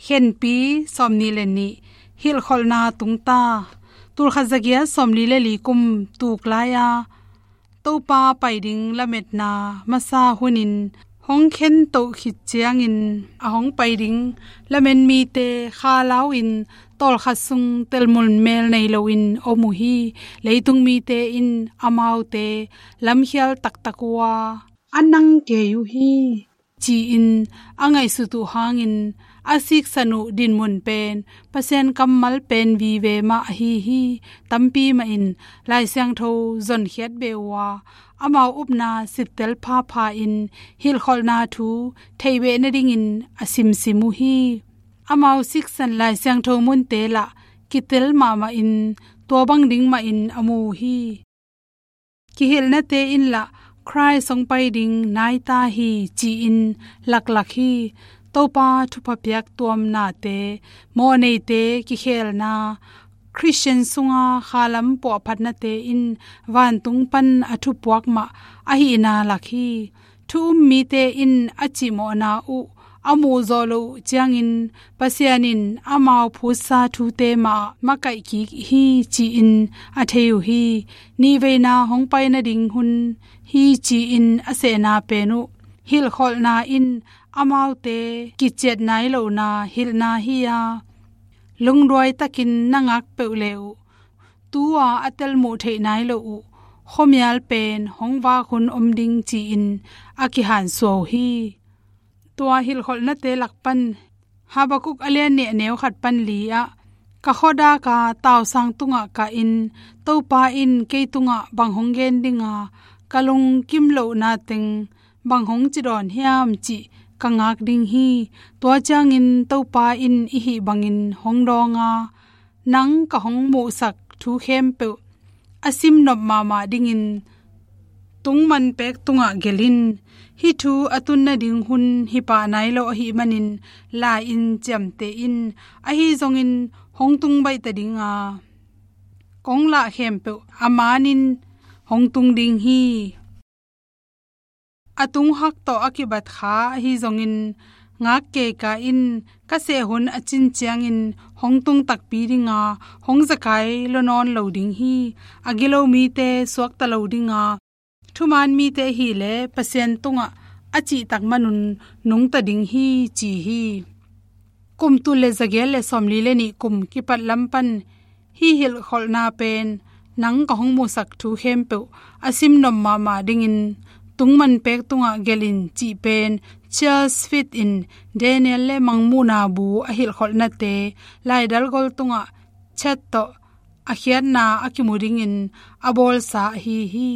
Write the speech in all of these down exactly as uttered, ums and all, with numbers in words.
Khenpi sawmnih le nih, hilhkholhna tungta. Tulkhat zagiat sawmli le li kum tuk lai-a Topa pai ding lametna masa hunin hong khentoh khit ciangin, a hong pai ding lamen mite khalau-in tawlkhat sung telmun mel nei loin om uh hi. Leitung mite in amaute lamkhial taktak uh a, a nang kei uh hi, ci-in a ngaihsut uh hangin, a siksan uh dinmun pen Pasian kammal pen vive mah ahi hi. Tampi mahin Lai Siangtho zonkhiat beh uh a, amau upna sittel phapha-in hilhkholhna thu theih beh nadingin a simsim uh hi. Amau siksan Lai Siangtho munte lah kitel mahmahin, tua bang ding mahin a mu uh hi. Kihilhnate in lah Khrist hong pai ding nai ta hi, ci-in laklak hi. Topa thupha piak tuamnate, mawhneite kikhelna, Khristian sunga khalam puahphatnate in vantung pan a thupuak mah ahihna lak hi. Thu um mite in a cihmawhna uh a muhzawh loh uh ciangin, Pasian in amau phutsa thute mah makaih kik hi, ci-in a thei uh hi. Nihveina hong pai nading hun hi, ci-in a sehna pen uh, hilhkholhna in amaute kiciat nai lohna hilhna hi-a, lungduai takin na ngak peuh le uh, tu-a a telmuh theih nai lo uh khuamial pen hong vak hun om ding, ci-in a kihansuah uh hi. Tua hilhkholhnate lak pan Habakuk a lian nih a neu khat pan li ah, ka khuadaka tausang tungah kahin, Topa in kei tungah bang hong gen dinga, ka lungkim lohna teng bang hong cidawn hiam, cih ka ngak ding hi. Tua ciangin Topa in i hih bangin hong dawnga, nang ka hong muhsak thu khempeuh a simnop mahmah dingin tungman pek tungah gelh in. Hih thu a tun nading hun hi pah nai lo ahih manin, la-in ciamteh in. Ahi zongin hong tung baih ta dinga, kong lah khempeuh a manin hong tung ding hi. A tunghak tawh a kibat kha ahi zongin, ngak kei ka in. Ka seh hun a cin ciangin hong tung takpi dinga, hong zekai lua nawn lo ding hi. A gilo mite suakta lo dinga, thuman mite ahih leh Pasian tungah a cihtak manun nungta ding hi, ci hi. Kum tul le zagiat le sawmli le nih kum kipat lam pan hih hilhkholhna pen, nang ka hong muhsak thu khempeuh a simnop mahmah dingin tungman pek tungah gelh in, cih pen Charles Fitt in Daniel le Mangmuhna bu a hilhkholhnate laidal gol tungah chat tawh a khiatna a kimu dingin a bawlsa ahi hi.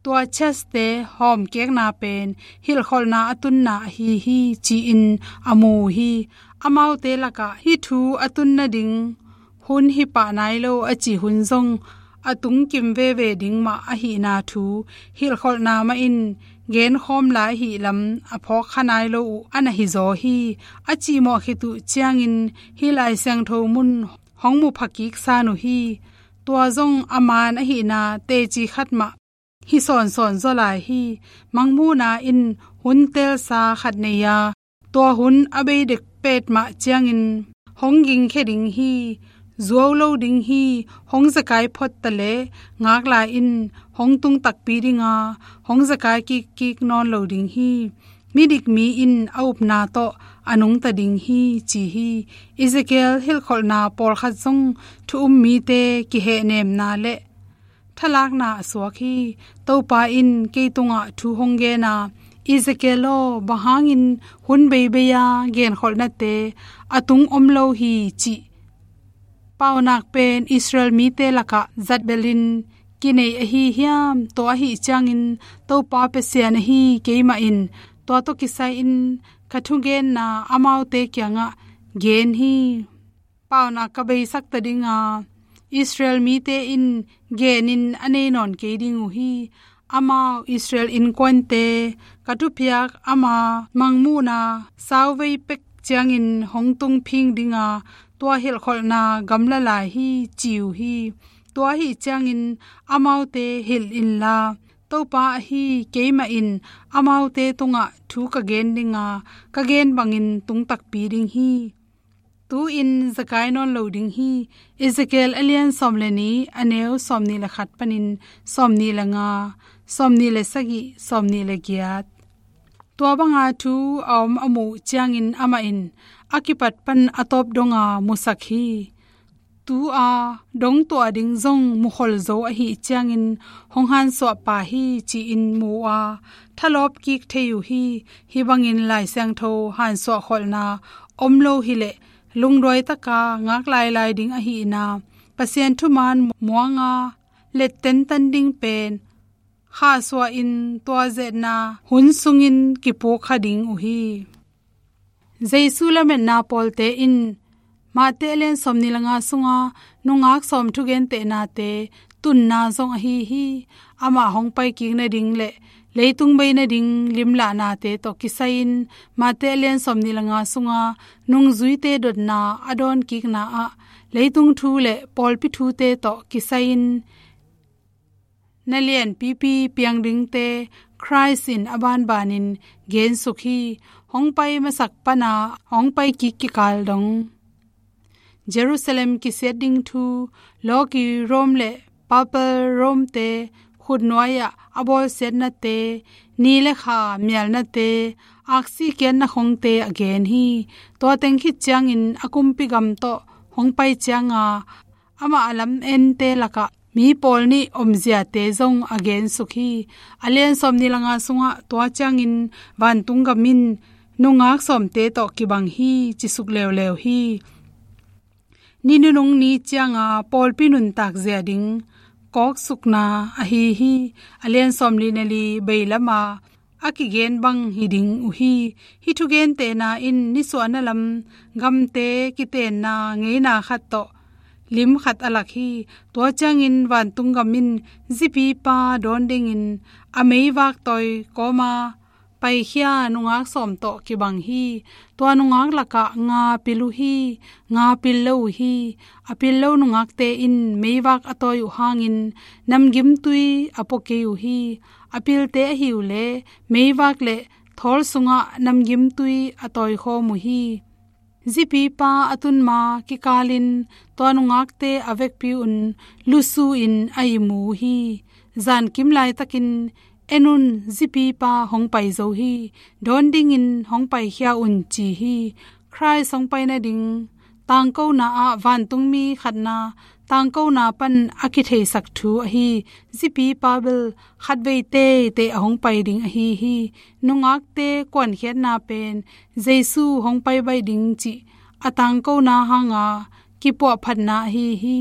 Tua chaste hawmkekna pen hilhkholhna a tunna ahi hi, ci-in a mu uh hi. Amaute lakah hih thu a tun nading hun hi pah nai lo a cih hun zong a tungkim veve ding mah ahihna thu, hilhkholhna mahin genkhawm lai ahih lam a phawkkha nai lo uh a na hizaw hi. A cihmawh khit uh ciangin hih Lai Siangtho mun hong mu phakik san uh hi. Tua zong a man ahihna teci khat mah hi sawnsawn zaw lai hi. Mangmuhna in hun telsa khat nei a, tua hun a bei dek petmah ciangin hong gingkhia ding hi. Zuau lo ding hi. Hong zekai phot taleh ngak la in, hong tung takpi dinga, hong zekai kikkik nawn lo ding hi. Midik mi in a upna tawh a nungta ding hi, ci hi. Ezekiel hilhkholhna pawlkhat zong thu um mite kihehnemna le thalakna a suak hi. Topa in kei tungah thu hong gen a, Ezekiel aw, bang hangin hun beibei-a genkholhnate a tung om lo hi, cih paunak pen Israel mite lakah zatbelin kinei ahi hiam? Tua ahih ciangin Topa Pasian ahi keimah in tua tawh kisai-in ka thugenna amaute kiangah gen hi. Paunak ka beisakta dinga, Israel mite in genin a nei nawn kei ding uh hi. Amau Israel innkuante ka thupiak ama Mangmuhna sauvei pek ciangin hong tung phing dinga, tua hilhkholhna gamla lai hi, ci uh hi. Tua ahih ciangin amaute hilh inla, Topa ahi keimah in amaute tungah thu ka gen dinga, ka gen bangin tung takpi ding hi. Tu-in zekai nawn lo ding hi. Ezekiel a lian sawm le nih, a neu sawmnih le khat panin sawmnih le nga, sawmnih le sagih, sawmnih le giat. Tua banga thu a om a muh ciangin amah in a kipat pan a tawp donga musak hi. Tu-a dong tuah ding zong mukhol zo ahih ciangin hong hansuah pah hi, ci-in mu-a thalawp kik thei uh hi. Hih bangin Lai Siangtho hansuah kholhna om lo hileh lungduai taka ngak lailai ding ahihna, Pasian thuman muanga let tentan ding pen khahsuah in tua zetna hun sungin kipuk kha ding uh hi. Jesu lametna pawlte in Mate a lian sawmnih le nga sunga nungak sawm thugentehnate tunna zong ahi hi. Amah hong paikik nading le leitung bei nading limlahnate tawh kisai-in Mate a lian sawmnih le nga sunga nungzuite dotna a dawnkikna ah leitung thu le pawlpi thute tawh kisai-in na lianpipi piang dingte Khrist in a banbanin gensuk hi. Hong pai masak pana hong paikik kikal dong, Jerusalem kisiat ding thu, lawki Rome le Papal Rome-te khutnuai-ah a bawlsiatnate, ni le kha mialnate, aksi kiatna khongte a gen hi. Tua teng khit ciangin a kumpi gam tawh hong pai cianga amah a lamette lakah mi pawl nih omziate zong a gensuk hi. A lian sawmnih le nga sungah tua ciangin vantung gam in nungak sawmte tawh kibang hi, ci suk leuleu hi. Ni nunung ni cianga pawlpi nuntak zia ding kawksukna ahi hi. A lian sawmli na li bei lama a kigen bang hi ding uh hi. Hih thugentehna in nisuahna lam gamte kitenna ngeina khat tawh lim khat a lak hi. Tua ciangin vantung gam in zipipa dawn dingin a meivak tawi kawma paikhia nungak sawm tawh kibang hi. Tua nungak lakah nga pil uh hi, nga pil lo uh hi. A pil lo nungakte in meivak a tawi uh hangin namgimtui a pua kei uh hi. A pilte ahi uh leh meivak le thawl sungah namgimtui a tawikhawm uh hi. Zipipa a tun ma kikalin tua nungakte a vekpi un lusu-in a imu uh hi. Zankim laitakin, "En un, zipipa hong pai zo hi, dawn dingin hong paikhia un," ci hi. Khrist hong pai nading tangkona ah vantungmi khatna tangkona pan a kitheisak thu ahi zipipa bel khatvei teitei a hong pai ding ahi hi. Nungakte kuankhiatna pen Jesu hong pai baih ding cih a tangkona hanga kipuahphatna ahi hi.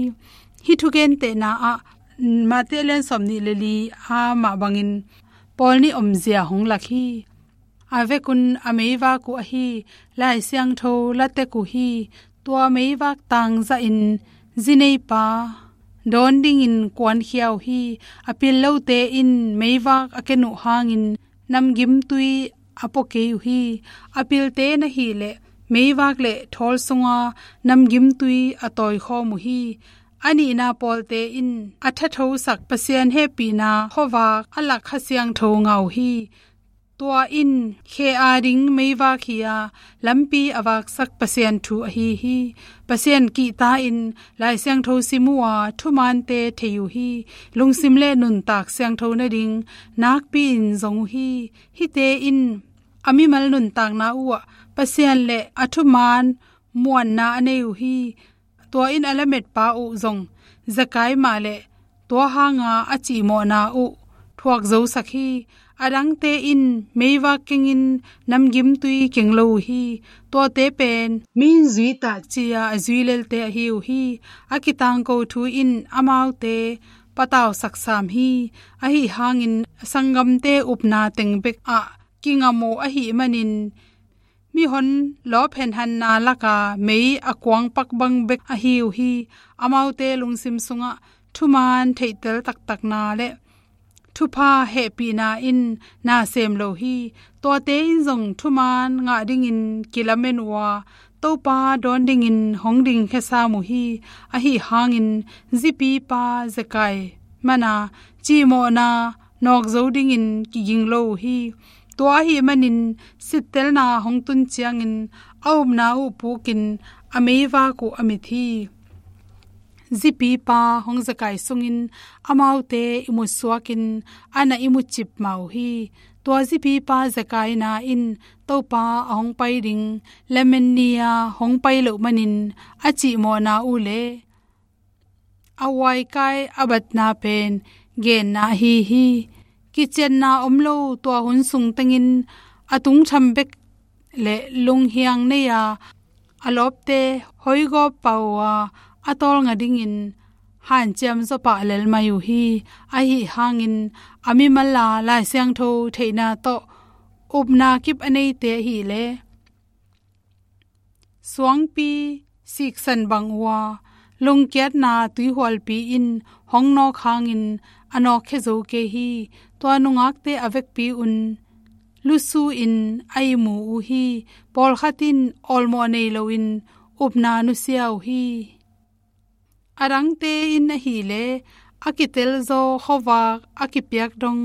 Hih thugentehna ah Mate a lian sawmnih le li a mah bangin pawl nih omzia hong lak hi. A vekun a meivak uh ahi Lai Siangtho latek uh hi. Tua meivak tangzahin zineipa dawn dingin kuankhia uh hi. A pil lote in meivak a ken uh hangin namgimtui a pua kei uh hi. A pilte na hih leh meivak le thawl sunga namgimtui a tawikhawm uh hi. A nihna pawlte in a thathosak Pasian hehpihna khuavak a lak Kha Siangtho ngah uh hi. Tua in khe ading meivak hi-a lampi a vaksak Pasian thu ahi hi. Pasian kihta-in Lai Siangtho sim uh a thumante thei uh hi. Lungsim le nuntak siangtho nading nakpi-in zong uh hi. Hihte in a mimal nuntakna uhah Pasian le a thuman muanna a nei uh hi. Tua in a lametpa uh zong Zakai mah le tua hanga a cihmawhna uh thuak zosak hi. A dangte in meivak kengin namgimtui keng lo uh hi. Tuate pen mi in zui ta ci-a a zui lelte ahi uh hi. A kitangko thu in amaute patausak sam hi. Ahi hangin a sanggamte upna teng bek ah kingam uh ahih manin mihon lawphenhanna laka mei a kuangpak bang bek ahi uh hi. Amaute lungsim sungah thuman theihtel taktakna le thupha hehpihna in na sem lo hi. Tuate in zong thuman ngah dingin kilamen uh a, Topa dawn dingin hong dingkhia sam uh hi. Ahi hangin zipipa Zakai mana cihmawhna nawk zo dingin kiging lo uh hi. Tua ahih manin sittelna hong tun ciangin a upna uh pukin a meivak uh a mit hi. Zipipa hong zekai sungin amaute ihmut suakin a na ihmut cip mah uh hi. Tua zipipa zekaina in Topa a hong pai ding lamen ni-a hong pai loh manin a cihmawhna uh le a uaikai a batna pen genna ahi hi. Kicianna om lo tua hun sung tengin a tungtham bek le lunghiang nei-a a lawpte hoigawp pah uh a, a tawlnga dingin hanciam zaw pah lel mai uh hi. Ahi hangin a mimal a Lai Siangtho theihna tawh upna kip a neite ahih leh suangpi siksan bang uh a, lungkiatna tuihualpi in hong nawk hangin a nawkkhia zo kei hi. Tua nungakte a vekpi un lusu in a ihmu uh hi. Pawlkhat in awlmawh nei loin upna nusia uh hi. A dangte in ahih leh a kitelzaw khuavak a kipiak dong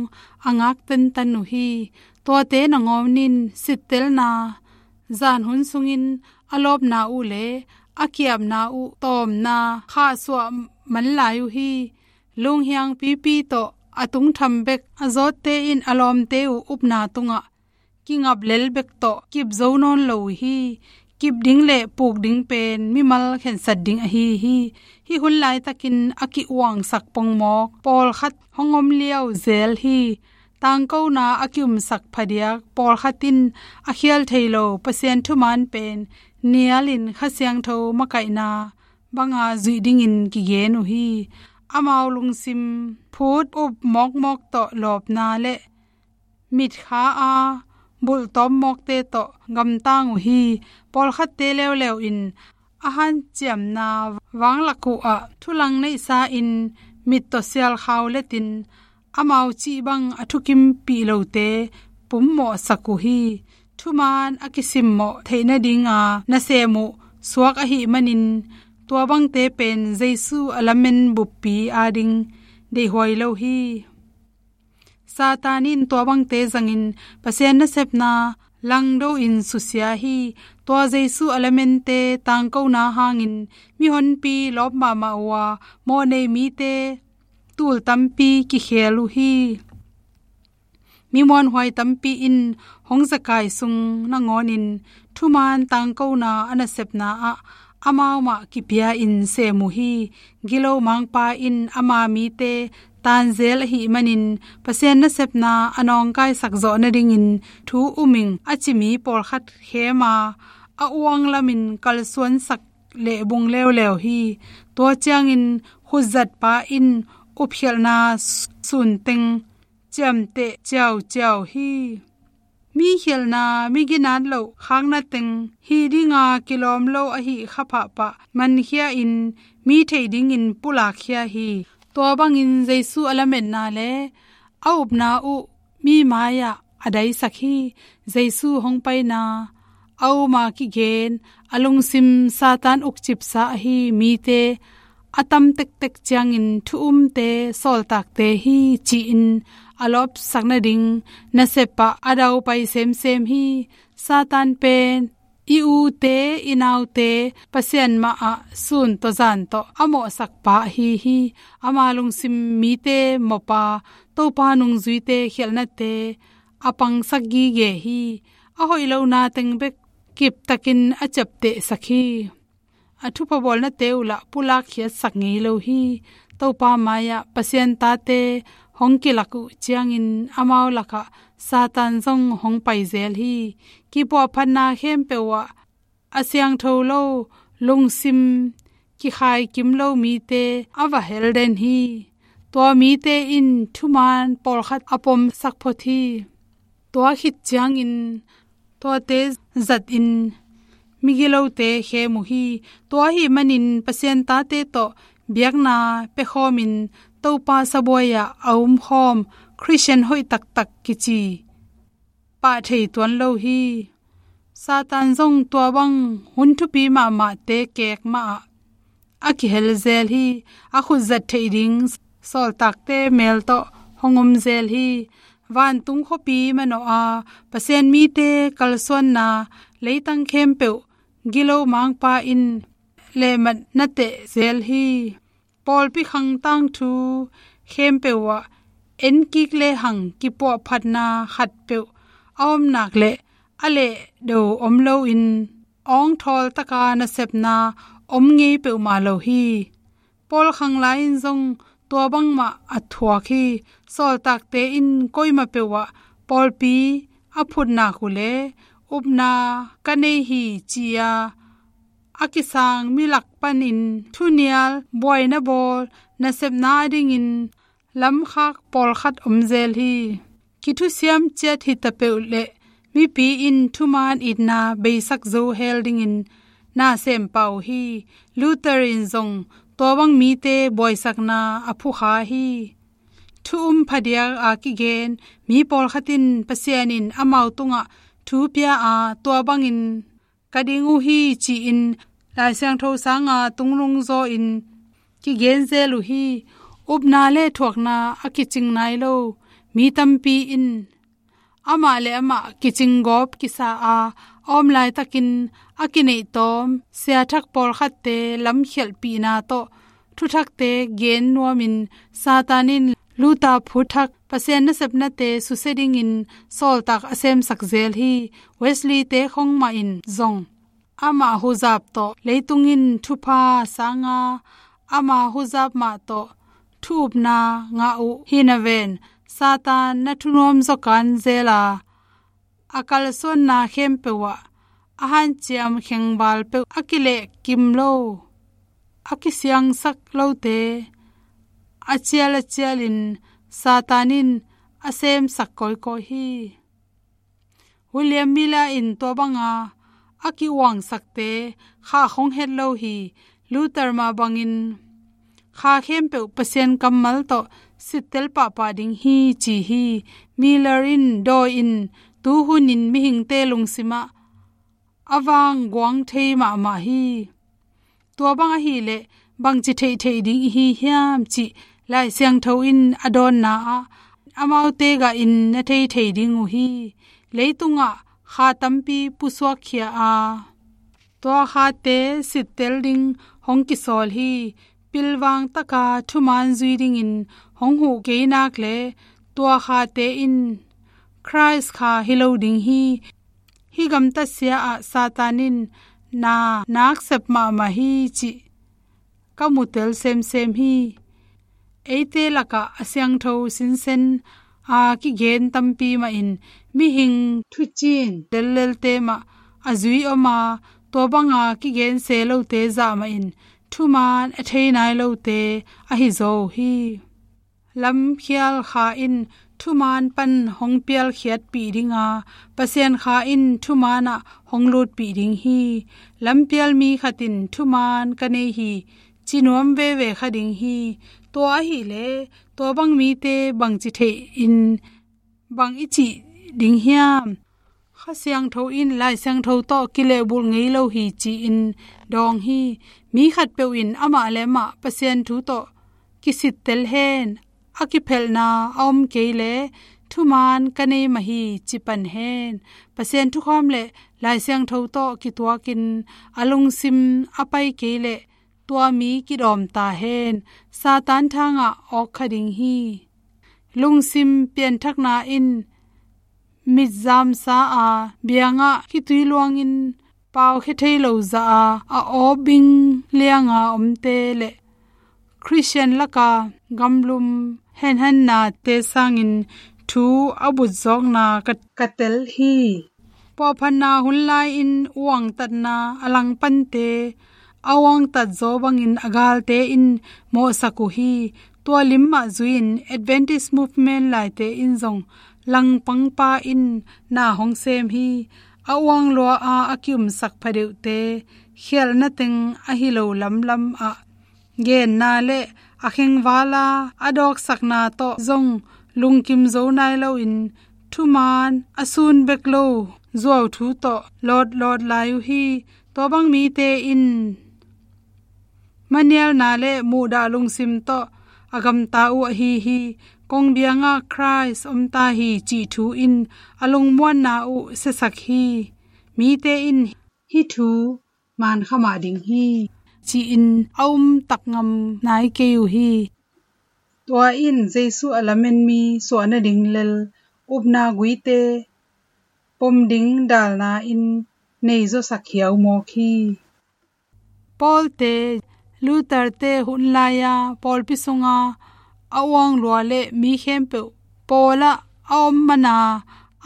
a ngak tentan uh hi. Tuate nangawn in sittelna zan hun sungin a lawpna uh le a kiapna uh tawmna khahsuah man lai uh hi. Lunghiang pipi tawh a tungtham bek a zawtte in a lawmte uh upna tungah kingap lel bek tawh kip zo nawn lo uh hi. Kip ding le puk ding pen mimal khensat ding ahi hi. Hih hun laitakin a ki-uangsak pongmawk pawlkhat hong om liau zel hi. Tangkona a ki-umsak phadiak pawlkhat in a khial thei lo Pasian thuman pen nialin Kha Siangtho makaihna banga zuih dingin kigen uh hi. Amau lungsim phut up mawkmawk tawh lawpna le mitkha a bulhtawm mawkte tawh gamtang uh hi. Pawlkhatte leuleu in a hanciamna vanglak uh ah thulang neihsa in mit tawh sialkhau letin amau cih bang a thukimpih lote pummawhsak uh hi. Thuman a kisimmawh theih nadinga nasem uh suak ahih manin tua bangte pen Jesu a lamen buppi ading deihhuai lo hi. Satan in tua bangte zangin Pasian nasepna langdo in susia hi. Tua Jesu a lamente tangkona hangin mihonpi lawp mahmah uh a, mawhnei mite tul tampi kikhel uh hi. Mi muanhuai tampi in hong zekai sung nangawnin thuman tangkona a nasepna ah amau mah kipia in sem uh hi. Gilo mangpa in ama mite tanzel ahih manin Pasian nasepna a nawngkaisak zawh nadingin thu um ing a ci mi pawlkhat khem a, a uang lamin kalsuansak lehbung leuleu hi. Tua ciangin khutzatpa in upkhialhna sunteng ciamteh ciauciau hi. Mi khialhna, mi ginat loh khakna teng hih dinga kilawm lo ahih kha pahpah mankhia in mi theih dingin pulakkhia hi. Tua bangin Jesu a lametna le a upna uh mi mai-ah a daisak hi. Jesu hong paina a uma kigen a lungsim Satan ukcipsa ahi mite a tam tektek ciangin thu umte sawltakte hi ci-in a lawpsak nading nasep ah a daupai semsem hi. Satan pen i ute i naute Pasian mah ah sun tawh zan tawh a mawhsakpa ahi hi. Ama lungsim mite mawpa Topa nungzuite khialhnate a pangsak gige hi. A hoih lohna teng bek kiptakin a ciaptehsak hi. A thupha bawlnate uh lah pulakkhiatsak ngei lo hi. Topa mai-ah Pasian tate hong kilak uh ciangin amau lakah Satan zong hong paizel hi. Kipuahphatna khempeuh ah a siangtho lo lungsim kikhaikim lo mite a va helden hi. Tua mite in thuman pawlkhat a pomsak phot hi. Tua khit ciangin tuate zatin migilote khem uh hi. Tua ahih manin Pasian tate tawh biakna piakhawmin Topa sabuai-ah a umkhawm Khristian hoih taktak kici pah thei tuan lo hi. Satan zong tua bang hun thupi mahmahte kek mahah a kihel zel hi. A khutzat theih ding sawltakte mel tawh hong om zel hi. Vantung khuapi manawh a Pasian mite kalsuanna leitang khempeuh gilo mangpa in lehmat na teh zel hi. Pawlpi khang tangthu khempeuh ah enkik lehang kipuahphatna khatpeuh a om nak leh a lehdo om loin awngthawl taka nasepna om ngei peuhmah lo hi. Pawl khang lai-in zong tua bangmah a thuak hi. Sawltakte in koimah peuh ah pawlpi a phut nak uh leh upna ka nei hi ci-a a kisang mi lak panin thunial buaina bawl nasepna adingin lamkhak pawlkhat om zel hi. Kithusiam ciat hi ta peuh leh mipi in thuman itna beisak zo hel dingin na sem pah uh hi. Luther in zong tua bang mite buaisakna a phukha hi. Thu um phadiak a kigen mi pawlkhat in Pasian in amau tungah thu pia a, tua bangin ka ding uh hi ci-in Lai Siangtho sanga tungnung zaw-in kigen zel uh hi. Upna le thuakna a kicing nai lo mi tampi in amah le amah kicing gawp kisa a, a om laitakin a kineih tawm siathak pawlkhatte lamkhialhpihna tawh thuthakte gen nuamin Satan in Luther phut thak Pasian nasepnate susia dingin sawltak a semsak zel hi. Wesley-te khong mah in zong ama huzap tawh leitung in thupha sanga ama huzap mah tawh thu upna ngah uh hi naven, Satan na thunuam zaw kan zel a, a kalsuanna khempeuh ah a hanciam khengval peuh a kilehkim lo, a kisiangsak lote a cial a cialin Satan in a semsak kawikawi hi. William Miller in tua banga a ki-uangsakte kha khong het lo hi. Luther mah bangin kha khempeuh Pasian kammal tawh sittel pahpah ding hi ci hi. Miller in dawi in tuhunin mihingte lungsimah a vang guang thei mahmah hi. Tua bang ahileh bangci theihtheih ding ihi hiam cih Lai Siangtho in a dawnna ah amaute gah in na theithei ding uh hi. Leitungah kha tampi pusuakkhia a, tua khate sittel ding hong kisawl hi. Pilvang taka thuman zui dingin hong huh kei nak le tua khate in Khrist kha hi lo ding hi. Hih gamtatsia ah Satan in na naksep mahmah hi cih ka mutel semsem hi. Eite lakah a siangtho sinsen a kigen tampi mahin mihing thucin lellelte mah a zui om a, tua banga kigen se lote zah mahin thuman a thei nai lote ahi zaw uh hi. Lamkhial kha in thuman pan hong pialkhiatpih ding a, Pasian kha in thuman ah hong lutpih ding hi. Lampial mi khat in thuman ka nei hi ci nuam veve kha ding hi. Tua ahileh tua bang mite bangci theih in bang i cih ding hiam? Kha Siangtho in Lai Siangtho tawh kilehbulh ngei lo hi ci-in dawng hi. Mi khatpeuh in amah le amah Pasian thu tawh kisittel hen, a kiphelhna a om kei le thuman ka nei mah hi ci pan hen. Pasian thukham le Lai Siangtho tawh kituakin a lungsim a pai kei le tua mi kidawm ta hen. Satan thangah awk kha ding hi. Lungsim pianthakna in mitzamsa a, biangah khitui luangin pau khia thei lo zah a, a awbing lianga omte le Khristian laka gamlum henhannate sangin thu a butzawkna ka, ka tel hi. Puahphatna hun lai-in uangtatna a langpante a uangtat zaw bangin a galte in mawhsak uh hi. Tua lim mah zui-in Adventist Movement laite in zong langpangpa in na hong sem hi. A uang lua a a ki-umsak phadeuhte khialhna teng ahi lo lamlam ah genna le a khengvala a dawksakna tawh zong lungkim zo nai loin thuman a sun bek lo zuau thu tawh lawtlawt lai uh hi. Tua bang mite in manialna le muhdah lungsim tawh a gamta uh ahi hi. Kongbiangah Khrist omta hi cih thu in a lungmuanna uh siasak hi. Mite in hih thu man kha mah ding hi, ci-in a um tak ngam nai kei uh hi. Tua in Jesu a lamen mi suah nading lel upna guite pom ding dalna in nei zawsak hiau mawk hi. Pawlte, Luther-te hun lai-a pawlpi sunga a uang lua le mi khempeuh Paul-ah a om mana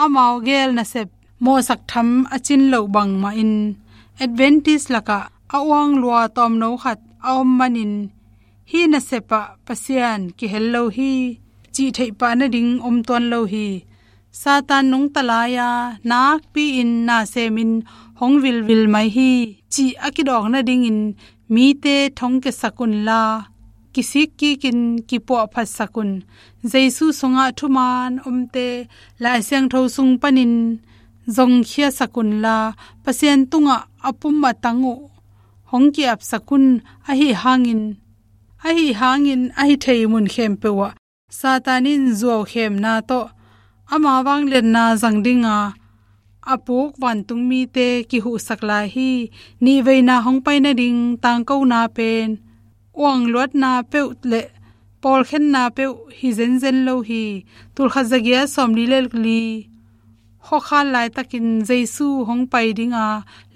amau gel nasep mawhsak tham a cin loh bangmahin Adventist lakah a uang lua tawmno khat a om manin hih nasepah Pasian kihel lo hi cih theihpah nading om tuan lo hi. Satan nungta lai-a nakpi-in nasemin hong vilvil mai hi cih a kidawk nadingin mite thongkiasak unla, kisik kikin kipuahphatsak un. Jesu sungah thuman omte Lai Siangtho sung panin zongkhiasak unla, Pasian tungah a pum a tang uh hong ki-apsak un. Ahi hangin, ahi hangin ahi thei mun khempeuh ah Satan in zuaukhemna tawh ama vangliatna zang dinga a puk vantungmite kihuhsak lai hi. Nihveina hong pai nading tangkona pen uangluatna peuh le pawlkhenna peuh hi zenzen lo hi. Tulkhat zagiat sawmli le li khuakhal laitakin Jesu hong pai dinga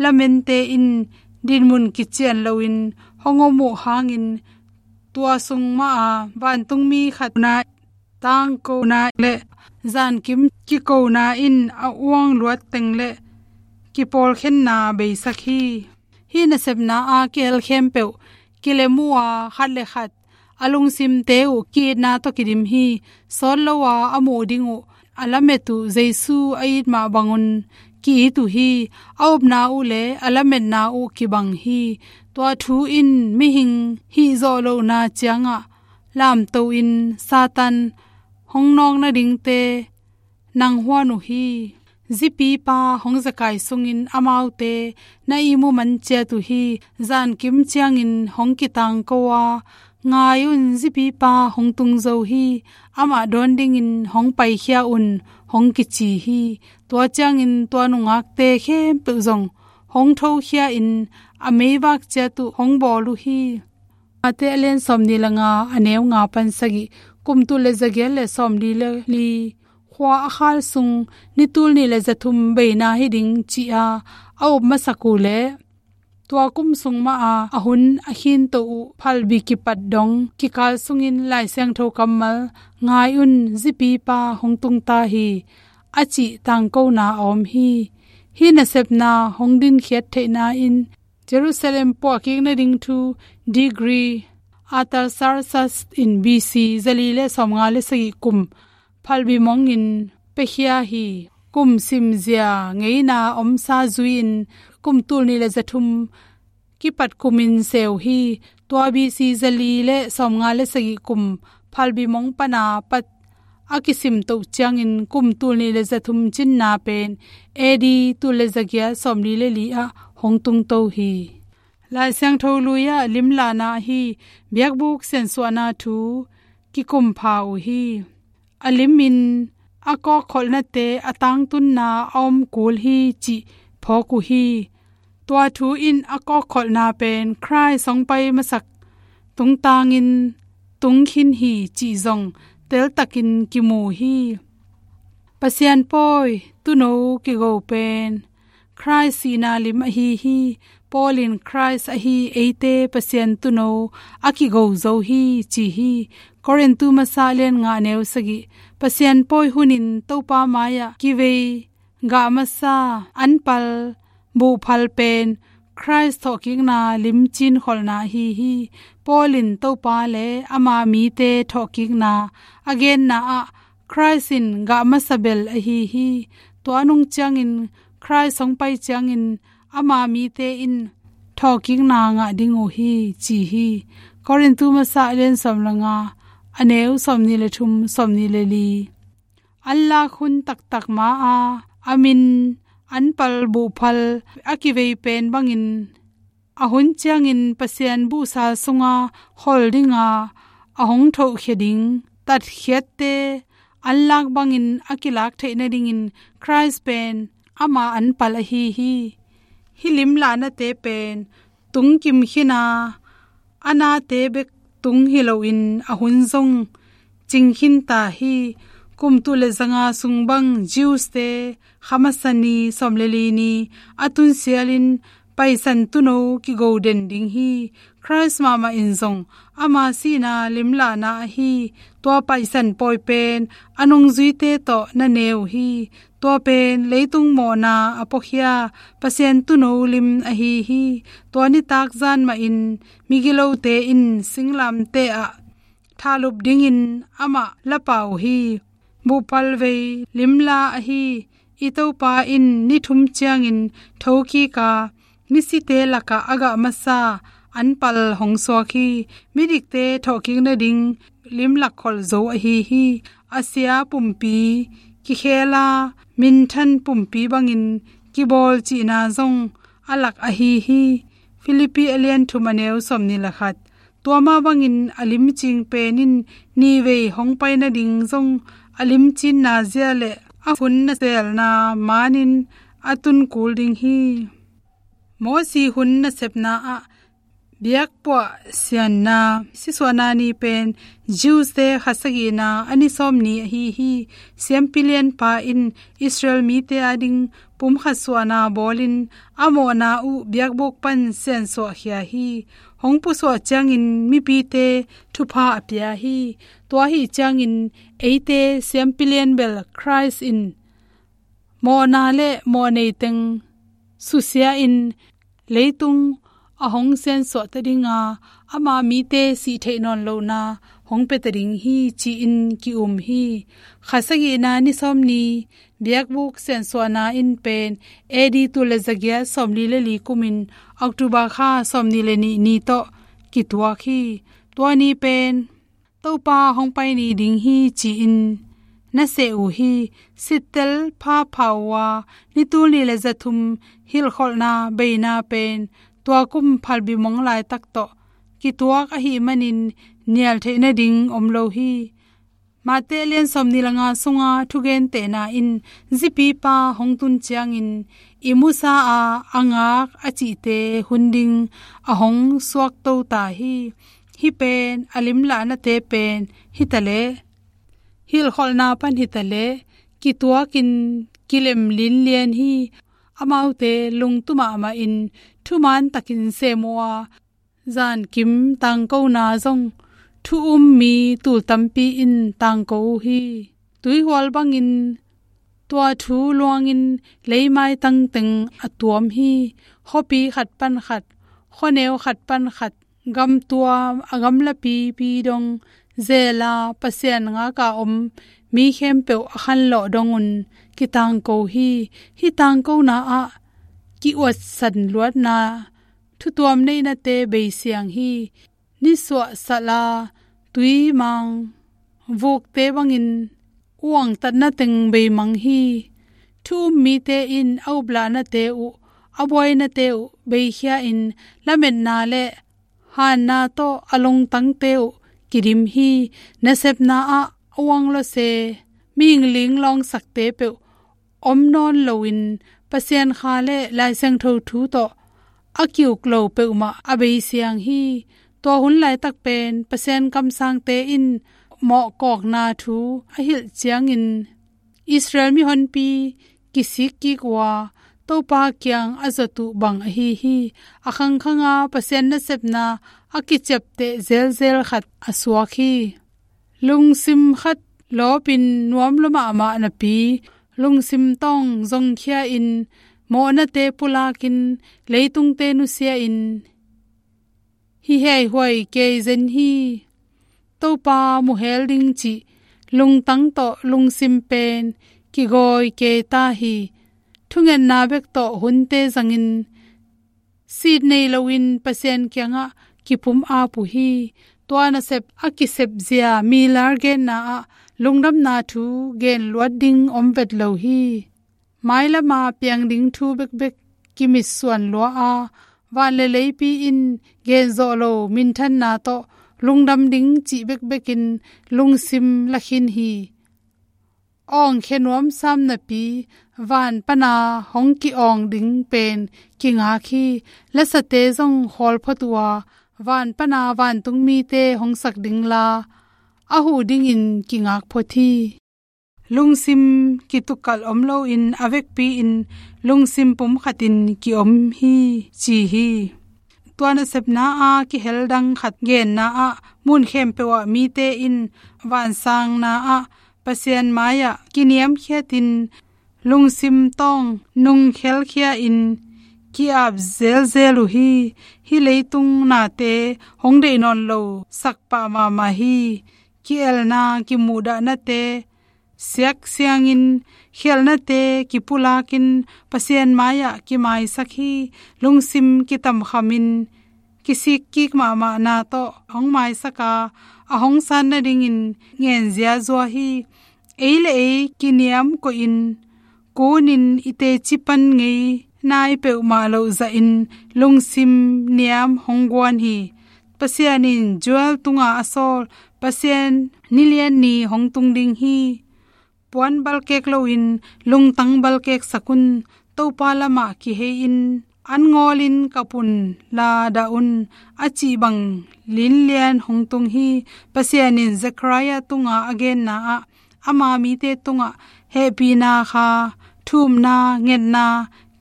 lamente in dinmun kician loin hong om uh hangin tua sung maha vantungmi khat na tangkona le zankim kikona in a uang luat teng le kipawlkhenna beisak hi. Hih nasepna a kihel khempeuh kilem uh a khat le khat a lungsimte uh ki-itna tawh kidim hi. Sawt lo a a muh ding uh a lamet uh Jesu a it mah bangun ki-it uh hi. A upna uh le a lametna uh kibang hi. Tua thu in mihing hih zawh lohna ciangah lamto in Satan hong nawk nadingte nang huan uh hi. Zipipa hong zakai sungin amaute na ihmu man ciat uh hi. Zankim ciangin hong kitangko a, "Ngai un, Zipipa hong tung zo hi. Amah dawn dingin hong paikhia un," hong kici hi. Tua ciangin tua nungakte khempeuh zong hong thokhia in a meivak ciat uh hong bawl uh hi. Matthai a lian sawmnih le nga, a neu nga pan sagih. Kum tul le zagiat le sawmli le li khua a khal sung ni tul nih le zathum beina hi ding ci-a a up masak uh le tua kum sung maha a hun a khinto uh phalbi kipat dong kikal sungin Lai Siangtho kammal, "Ngai un, Zipipa hong tung ta hi," a cih tangkona a om hi. Hih nasepna hong dinkhiat theihna in Jerusalem puahkik nading thu Decree Artaxerxes in B C zali le sawmnga le sagih kum phalbi mongin piakhia hi. Kum simzia ngeina omsa zui-in kum tul nih le zathum kipat kumin seu hi. Tua B C zali le sawmnga le sagih kum phalbi mong pana pat a kisimtoh ciangin kum tul nih le zathum cinna pen A D tul le zagiat sawmli le li ah hong tungto hi. Lai Siangtho lui-ah limlahna ahi biakbuk siansuahna thu kikumpha uh hi. A limin a kawkkholhnate a tangtunna a om kul hi cih phawk uh hi. Tua thu in a kawkkholhna pen Khrist hong pai masak tungtangin tungkhin hi cih zong teltakin kimu hi. Pasian pawi tuuno kigo pen Khrist sihna lim ahi hi. Paul in Khrist ahi eite Pasian tuuno a kigo zo hi ci hi. Korintu masa lian nga neu sagih. Pasian pawi hunin Topa mai-ah kivei gah masa anpal buhphal pen Khrist thawhkikna lim cinkholhna ahi hi. Paul in Topa le ama mite thawhkikna a genna ah Khrist in gah masa bel ahi hi. Tua nung ciangin Khrist hong pai ciangin ama mite in thawhkikna ngah ding uh hi ci hi. Korintu masa a lian sawm le nga, a neu sawmnih le thum, sawmnih le li. Anlak hun taktak ma-a a min anpal buhphal a kivei pen bangin a hun ciangin Pasian buhsa sunga khol dinga a hong thohkhia ding tatkhiatte anlak bangin a kilak theih nadingin Khrist pen ama anpal ahi hi. Hih limlahnate pen tung kim khin a, a nate bek tung hi loin a hun zong cing khin ta hi. Kum tul le zanga sung bang Jews-te kha masa ni, sawm le li ni a tun sialin Paisan Tuuno kigo den ding hi. Christ mahmah in zong ama sihna limlahna ahi tua Paisan pawi pen a nungzuite tawh na ne uh hi. Tua pen leitung mawhna a puakhia Pasian Tuuno lim ahi hi. Tua nitak zan mahin migilote in singlamteh ah thahlup dingin amah la pau hi. Buhpalvei limla ahi i Topa in ni thum ciangin thokik a, misite lakah a gah masa anpal hong suak hi. Midikte thawhkik nading lim lakkholh zo ahi hi. A sia pumpi kikhel a, minthan pumpi bangin kibawl cihna zong a lak ahi hi. Filippi a lian thum a neu sawmnih le khat. Tua mah bangin a limcing pen in nihvei hong pai nading zong a limcinna zia le a hun naselna manin a tun kul ding hi. Mosi hun nasepna ah biakpuah sianna sisuahna ni pen Jews-te kha sagihna a ni sawm ni ahi hi. Siampi lianpa in Israel mite ading pumkhat suahna bawlin a mawhna uh biakbuk pan siansuahkhia hi. Hong pusuah ciangin mipite thupha a pia hi. Tua ahi ciangin eite siampi lian bel Christ in mawhna le mawhnei teng susia in leitung a hong siansuahta dinga ama mite sih theih nawn lohna hong piata ding hi ci-in ki-um hi. Kha sagihna ni sawm ni biakbuk siansuahna in pen A D tul le zagiat sawmli le li kumin October kha sawmnih le nih ni tawh kituak hi. Tua ni pen Topa hong pai ni ding hi ci-in na seh uh hi. Sittel pha pha uh a, ni tul nih le zathum hilhkholhna beina pen tua kum phalbi mong laitak tawh kituak ahih manin nial theih nading om lo hi. Mate a lian sawmnih le nga sunga thugentehna in zipipa hong tun ciangin i musa a, a ngak a cihte hun ding a hong suakto ta hi. Hih pen a limlahnate pen hitaleh, hilhkholhna pan hitaleh kituakin kilem linlian hi. Amaute lungtum mahmahin thuman takin sem uh a, zankim tangkona zong thu-um mi tul tampi in tangko uh hi. Tuihual bangin tua thu luangin leimaitang teng a tuam hi. Khuapi khat pan khat, khuaneu khat pan khat, gamtuam a gamlapipi dong zela Pasian ngaka om mi khempeuh a khanlawh dongun kitangko hi. Hih tangkona ah ki-uatsan luatna thutuam neihnate beisiang hi. Nisuah sala tuimang vukte bangin uangtatna teng beimang hi. Thu-um mite in a uplahnate uh, a buainate uh beikhia in lametna le hanna tawh a lungtangte uh kidim hi. Nasepna ah a uanglawse, mihing linglawngsakte peuh om nawn loin Pasian kha le Lai Siangtho thu tawh a ki-uk lo peuhmah a beisiang hi. Tua hun laitak pen Pasian kamsangte in mawhkawkna thu a hilh ciangin Israel mihonpi kisik kik uh a, Topa kiang a zot uh bang ahi hi. A khangkhanga Pasian nasepna a kiciapteh zelzel khat a suak hi. Lungsim khat lawpin nuam lua mahmah napi, lungsim tawng zongkhia in, mawhnate pulakin, leitungte nusia in, hi heihuai kei zen hi. Topa muhel ding cih lungtang tawh lungsim pen kigawi kei ta hi. Thungetna bek tawh hunte zangin sit nei loin Pasian kiangah kipum ap uh hi. Tua nasep a kisepzia Miller genna ah lungdamna thu gen luat ding om vet lo hi. Mailama piang ding thu bekbek kimitsuan lua a, van le leipi in gen zawh lo minthanna tawh lungdam ding cih bekbekin lungsim lakhin hi. awngkhia nuam sam napi, van pana hong ki-awng ding pen kingak hi. Lasate zong khawl phot uh a, van pana vantung mite hong sak ding la, a huh dingin kingak phot hi. Lungsim kitukalh om loin a vekpi-in lungsim pumkhatin ki-om hi, ci hi. Tua nasepna a kihel dang khat genna ah, mun khempeuh ah mite in vansangna ah Pasian mai-ah kiniamkhiatin lungsim tawng nungkhelkhia-in ki-ap zelzel uh hi. Hih leitung nate hong deih nawn lo sak pah mahmah hi. Ki-elna, kimuhdahnate siaksiangin, khialhnate kipulakin Pasian mai-ah kimaisak hi. Lungsim kitamkhamin kisikkik mahmahna tawh hong maisak a, a hong san nadingin ngen ziazua hi. Ei le ei kiniam koihin, kunin i teci pan ngei nai peuhmah loh zahin lungsim niam hong guan hi. Pasian in Joel tunga a sawl, Pasian nilian ni hong tung ding hi. Puan balkek loin lungtang balkeksak un. Topa lamah kihei-in, an ngawlin kap un, la dah un, a cih bang linlian hong tung hi. Pasian in Zechariah tunga a genna ah, ama mite tungah hehpihna kha, thumna, ngetna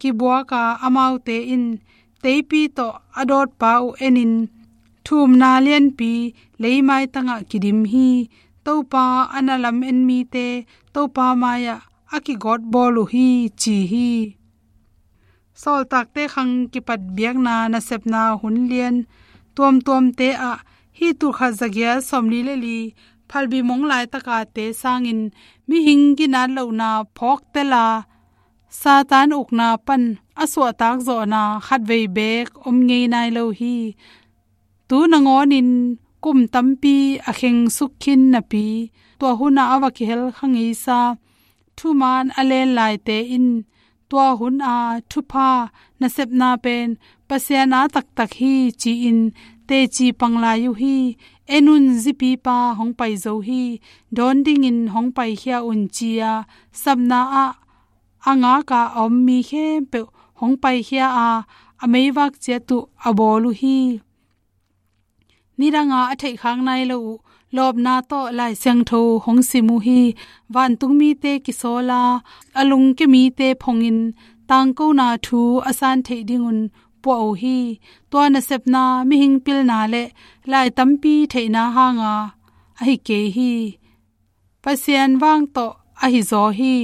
kibuak a, amaute in teipi tawh a dawtpa uh enin, thumna lianpi leimaitangah kidim hi. Topa a na lam-en mite Topa mai-ah a kigawtbawl uh hi, ci hi. Sawltakte khang kipat biakna nasepna hun lian tuamtuamte ah, hih tulkhat zagiat sawmli le li phalbi mong laitaka te sangin mihing ginat lohna phawktel a, Satan ukna pan a suahtak zawhna khatvei beek om ngei nai lo hi. Tu nangawnin kum tampi a khengsuk khin napi, tua hunah a va kihel kha ngeisa thumaan a len laite in, tua hun a thupha nasepna pen Pasian a taktak hi, ci-in teci pang lai uh hi. En un, zipipa hong pai zo hi, dawn dingin hong paikhia un, ci-a sapna ah a ngak a a om mi khempeuh hong paikhia a, a meivak ciat uh a bawl uh hi. Nidanga a theihkhak nai lo uh lawpna tawh Lai Siangtho hong sim uh hi. Vantung mite kisawl a, a lungkia mite phongin tangkona thu a san theih dingun puah uh hi. Tua nasepna mihing pilna le lai tampi theihna hanga ahi kei hi. Pasian vang tawh ahi zaw hi.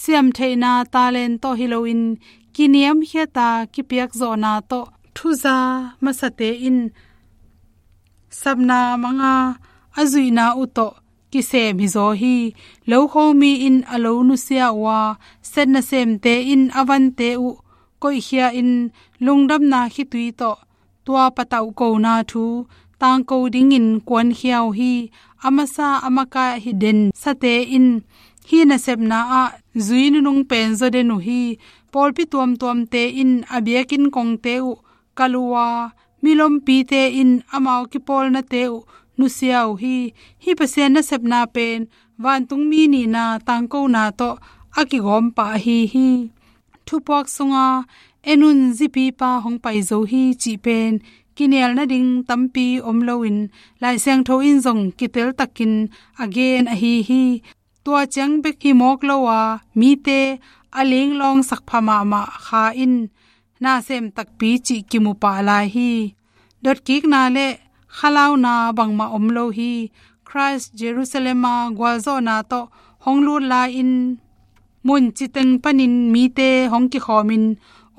Siamtheihna talent tawh hi loin, kiniamkhiata kipiak zawhna tawh thuza masate in sapna manga a zuihna uh tawh kisem hi zaw hi. Lokho mi in a lo nusia uh a, set nasemte in a vante uh koihkhia in, lungdamna khitui tawh tua patauh kona thu tangko dingin kuankhia uh hi. A masa a makaih hi densate in hih nasepna ah zui nunung pen zaw den uh hi. Pawlpi tuamtuamte in a biakinn kongte uh kal uh a, milompite in amau kipawlnate uh nusia uh hi. Hih Pasian nasepna pen vantung mi nihna tangkona tawh a kigawm pah ahi hi. Thupuak sunga, "En un, zipipa hong pai zo hi," cih pen kinial nading tampi om loin, Lai Siangtho in zong kiteltakin a gen ahi hi. Tua ciang bek hi mawk lo a, mite a linglawng sakpha mahmah kha in na sem takpi cih kimu pah lai hi. Dotkikna le khalauna bangmah om lo hi. Christ Jerusalem a gualzawhna tawh hong lut lai-in, mun citeng panin mite hong kikhawmin,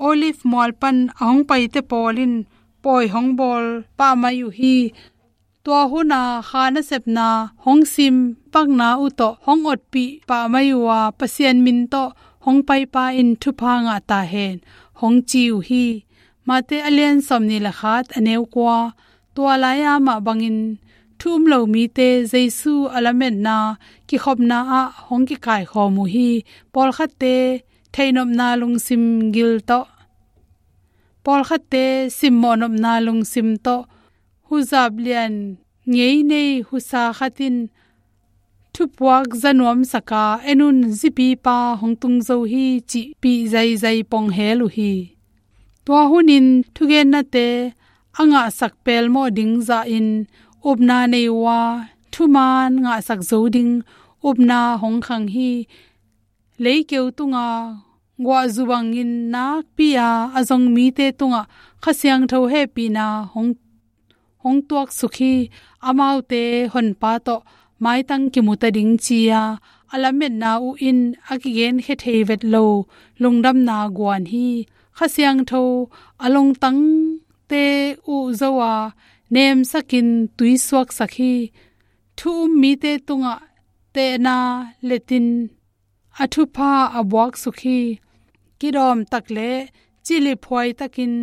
Olive mual pan a hong paite pawl in pawi hong bawl pah mai uh hi. Tua huna kha nasepna hong sim pakna uh tawh hong otpih pah mai uh a, Pasian min tawh hong paipa in thupha ngah ta hen, hong ci uh hi. Mate a lian sawmnih le khat, a neu kua. Tua lai-a mah bangin thu um lo mite Jesu a lametna kikhopna ah hong kikaikhawm uh hi. Pawlkhatte theihnopna lungsim gil tawh, pawlkhatte simmawhnopna lungsim tawh, huzap lian ngei nei husa khat in thupuak za nuamsak a, en un, zipipa hong tung zo hi cihpih zaizai pong hel uh hi. Tua hunin thugennate a ngahsak pelmawh ding zahin upna nei uh a, thuman ngahsak zo ding upna hong khang hi. Leikeu tunga guahzu bangin nakpi-a a zong mite tungah Kha Siangtho hehpihna hong, hong tuaksuk hi. Amaute Honpa tawh maitang kimuta ding ci-a a lametna uh in a kigenkhia thei vet lo lungdamna guan hi. Kha Siangtho a lungtangte uh zo a nemsakin tuisuaksak hi. Thu um mite tungah tehna letin a thupha a buaksuk hi. Kidawmtak le ciliphuaitakin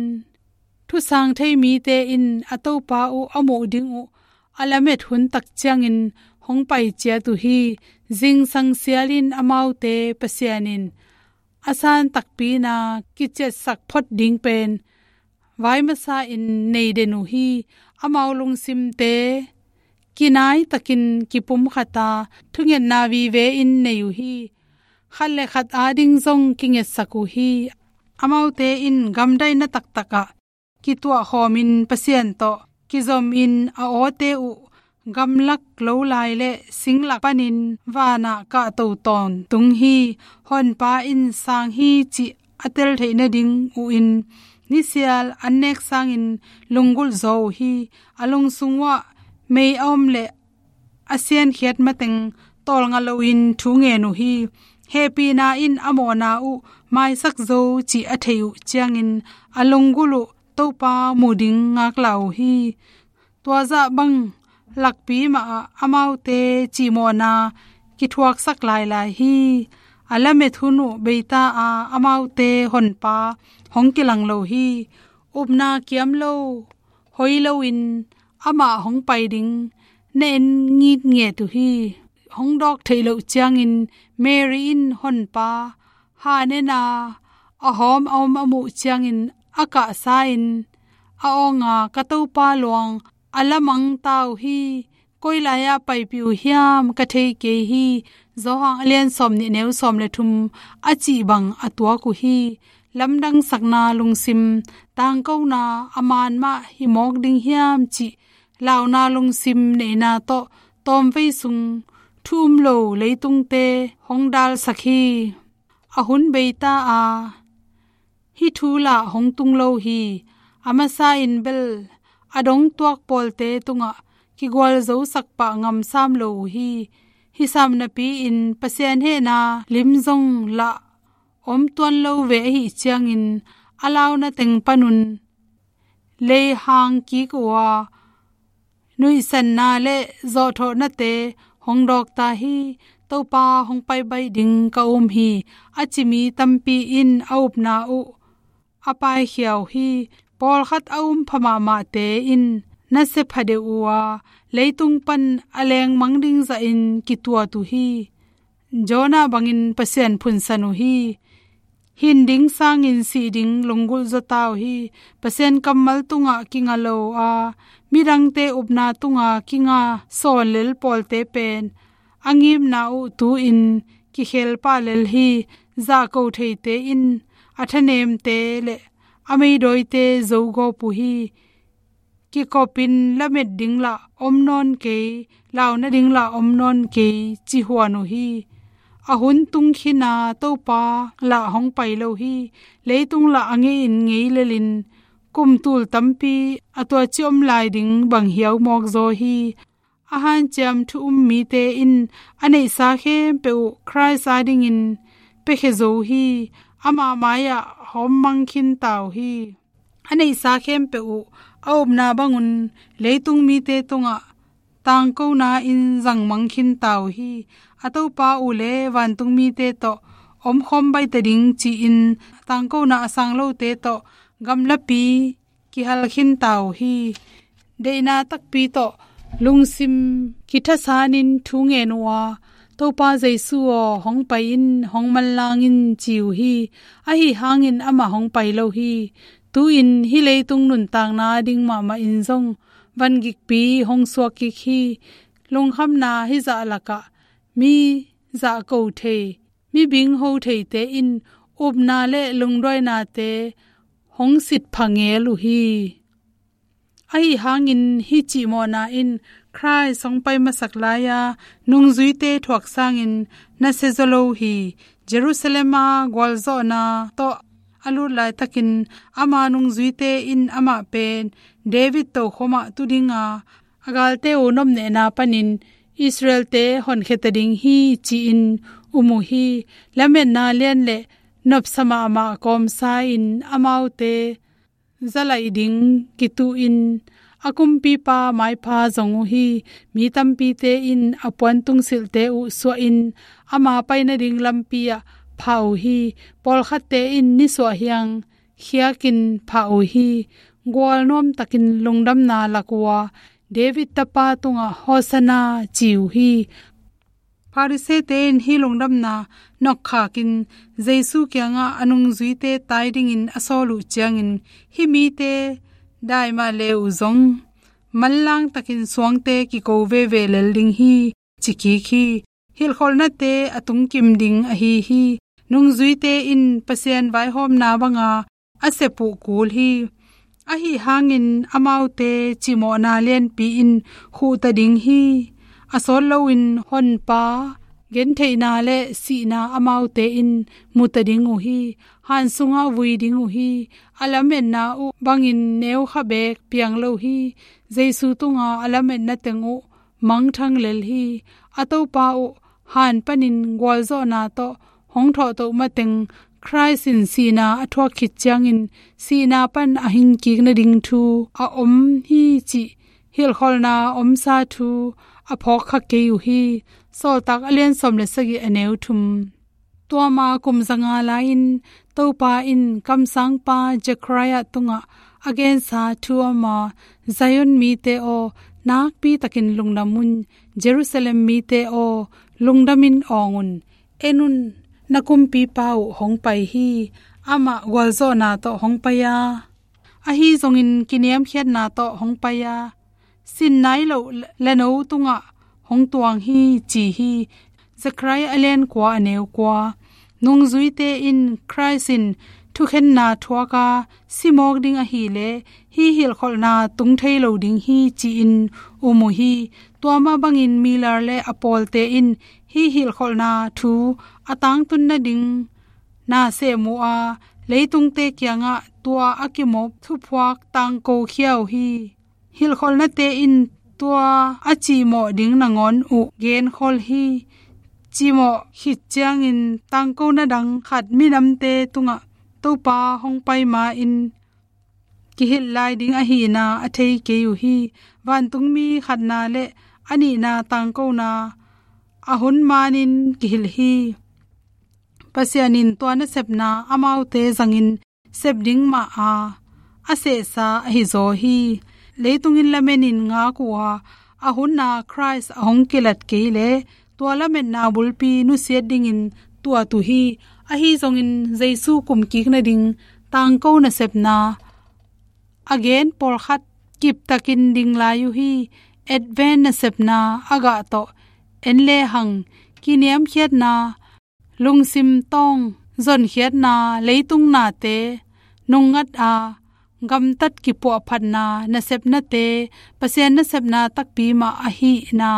thusang thei mite in a Topa uh a muh ding uh a lamet hun tak ciangin hong pai ciat uh hi. Zingsang sialin amaute Pasian in a san takpi-in a kiciatsak phot ding pen vai masa-in nei den uh hi. Amau lungsimte kinaitakin kipumkhat a, thungetna vive-in nei uh hi. Khat le khat ading zong kingetsak uh hi. Amaute in gamdaihna taktakah kituahkhawmin Pasian tawh kizomin a awte uh gamlak lo lai le singlak panin vanah kahto tawntung hi. Honpa in sang hi cih a tel theih nading uh in nisial an nek sangin lunggulh zaw uh hi. A lungsung uah mei a om le a siankhiat mateng tawlnga loin thu ngen uh hi. Hehpihna in a mawhna uh maisak zo cih a theih uh ciangin a lunggulh uh Topa mu ding ngaklah uh hi. Tua zah bang lakpi mahah amaute cihmawhna kithuaksak lailai hi. A lamet hun uh beita a, amaute Honpa hong kilang lo hi. Upna kiam lo, hoi loin amah hong pai ding na en ngitnget uh hi. Hong dawk theih loh ciangin Mary in Honpa han en a, a hawm a om a muh ciangin a kahsa-in a awng a, "Ka Topa luang a lamang ta uh hi. Koi lai-ah paipih uh hiam ka thei kei hi," Johan a lian sawmnih, neu sawm le thum a cih bang a tuak uh hi. Lamdangsakna lungsim, tangkona a man mah hi mawk ding hiam cih launa lungsim neihna tawh tawmvei sung thu um lo leitungte hong dalsak hi. A hun beita a hih thu lah hong tung lo hi. A masa-in bel a dongtuak pawlte tungah kigualzosak pah ngamsam lo uh hi. Hih sam napi-in Pasian hehna lim zong lah om tuan lo ve ahih ciangin a launa teng panun leihang kik uh a, nuihsanna le zawhthawhnate hong dawk ta hi. "Topa hong pai baih ding ka um hi," a ci mi tampi in a upna uh a paikhia uh hi. Pawlkhat a um pha mahmahte in nasia pha deuh uh a, leitung pan a lengmang ding zahin kituat uh hi. Jonah bangin Pasian phunsan uh hi. Hin ding sangin sih ding lunggulh zaw ta uh hi. Pasian kammal tungah kinga lo a, midangte upna tunga kinga sawnlel pawlte pen a ngimna uh tu-in kikhel pah lel hi. Zahko theite in a thanemte le a meidawite zogawp uh hi. Kikopin lamet ding lah om nawn kei, launa ding lah om nawn kei, ci huan uh hi. A hun tung khin a, Topa lah hong pai lo hi. Leitung lah a ngei-in ngei lelin kum tul tampi a tuaci om lai ding bang hiau mawk zaw hi. A hanciam thu um mite in a neihsa khempeuh uh Khrist adingin piakhia zo hi. Ama mai-ah hawmmang khin ta uh hi. A neihsa khempeuh uh a upna bangun leitung mite tungah tangkona in zangmang khin ta uh hi. A Topa uh le vantung mite tawh omkhawm baih ta ding ci-in tangkona a sang lote tawh gamlapi kihal khin ta uh hi. Deihna takpi tawh lungsim kithasanin thu ngen uh a, "Topa Jesu aw, hong pai in, hong manlang in," ci uh hi. Ahi hangin amah hong pai lo hi. Tu-in hih leitung nuntakna ding mahmah in zong vangikpi hong suak kik hi. Lungkhamna hih zah lakah mi zahko thei, mi bingho theite in upna le lungduainate hong sitpha ngel uh hi. Ahi hangin hih cimawhna in Khrist hong pai masak lai-a nungzuite thuak sangin na siazaw lo hi. Jerusalem a gualzawhna tawh a lut laitakin ama nungzuite in amah pen David tokhomah tu dinga, a galte uh nopnehna panin Israelte honkhia ta ding hi ci-in um uh hi. Lametna lian le nopsa mahmah kawmsa in amaute zalaih ding kituhin a kumpipa maipha zong uh hi. Mi tampite in a puan tungsilhte uh suahin ama pai nading lampi ah phah uh hi. Pawlkhatte in nisuah hiang khiakin phah uh hi. Gualnuam takin lungdamna lak uh a, David tapa tungah Hosanna ci uh hi. Pharisee-te in hih lungdamna nokkhakin Jesu kiangah a nungzuite tai dingin a sawl uh ciangin, hih mite dai mah le uh zong manlang takin suangte kiko veve lel ding hi, ci kik hi. Hilhkholhnate a tungkim ding ahi hi. Nungzuite in Pasian vaihawmna banga a sep uh kul hi. Ahi hangin amaute cimawhna lianpi in khuhta ding hi. A sawt loin Honpa gentheihna le sihna amaute in muta ding uh hi. Han sungah vui ding uh hi. A lametna uh bangin neu kha beek piang lo hi. Jesu tunga a lametna teng uh mangthang lel hi. A Topa uh han panin gualzawhna tawh hong thawhtoh mateng Khrist in sihna a thuak khit ciangin sihna pan a hingkik nading thu a om hi cih hilhkholhna omsa thu a phawkkha kei uh hi. Sawltak a lian sawm le sagih a neu thum. Tua ma kum zanga lai-in Topa in kamsangpa Zechariah tungah a gensa thu a om a, Zion mite aw, nakpi takin lungdam un. Jerusalem mite aw, lungdamin awng un. En un, na kumpipa uh hong pai hi. Amah gualzawhna tawh hong pai a, ahi zongin kiniamkhiatna tawh hong pai a, sin nai loh lano tungah hong tuang hi, ci hi. Zechariah a lian kua a neu kua. Nungzuite in Khrist in thukhenna thuak a si mawk ding ahileh hih hilhkholhna tung thei lo ding hi, ci-in um uh hi. Tua mah bangin Miller le a pawlte in hih hilhkholhna thu a tangtun nading na sem uh a, leitungte kiangah tua a kimawk thuphuak tangko khia uh hi. Hilhkholhnate in tua a cimawh ding nangawn uh genkhol hi. Cimawh khit ciangin tangkona dang khat minamte tungah Topa hong pai ma-in kihilh lai ding ahihna a thei kei uh hi. Vantungmi khatna le a nihna tangkona a hun manin kihilh hi. Pasian in tua nasepna amaute zangin sep ding mah a, a sehsa ahi zaw hi. Leitungin lamenin ngak uh a, a huna Khrist a hong kilat kei leh tua lametna bulpi nusiat dingin tuat uh hi. Ahi zongin Jesu kumkik nading tangko nasepna a gen pawlkhat kiptakin ding lai uh hi. Advent nasepna a gah tawh en lehang kiniamkhiatna, lungsim tawng zonkhiatna, leitung nate nungngat a gamtat kipuahphatna nasepnate, Pasian nasepna takpi mah ahihna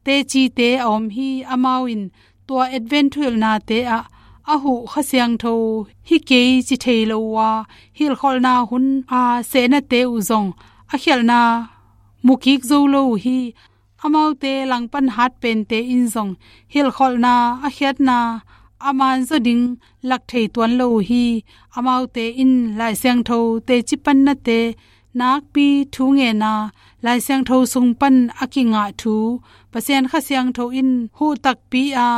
tecite a om hi. Amau in tua Advent thuhilhnate ah a huh Kha Siangtho hi kei ci thei lo uh a, hilhkholhna hun a sehnate uh zong a khialhna mukik zo lo uh hi. Amaute langpan hatpente in zong hilhkholhna a khiatna a manzaw ding lak thei tuan lo uh hi. Amaute in Lai Siangtho teci pannate, nakpi thu ngenna, Lai Siangtho sung pan a kingah thu, Pasian Kha Siangtho in huh takpi a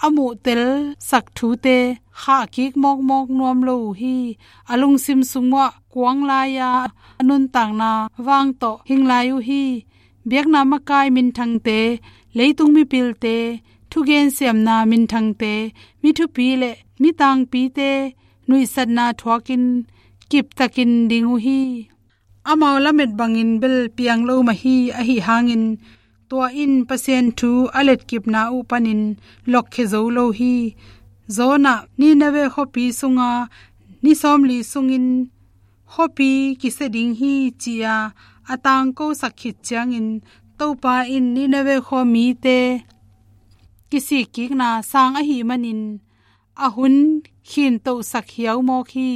a muhtelsak thute khahkik mawkmawk nuam lo uh hi. A lungsim sung uah kuang lai-a a nuntakna vang tawh hing lai uh hi. Biakna makai minthangte, leitung mipilte, thugen siamna minthangte, mi thupi le mi tangpite nuihsatna thuakin kiptakin ding uh hi. Amau lamet bangin bel piang lo mah hi. Ahi hangin Tua in Pasian thu a letkipna uh panin lokkhia zo lo hi. Jonah Nineveh khuapi sunga ni sawmli sungin khuapi kisia ding hi ci-a a tangkosak khit ciangin Topa in Nineveh khua mite kisikkikna sang ahih manin a hun khintohsak hiaumawk hi.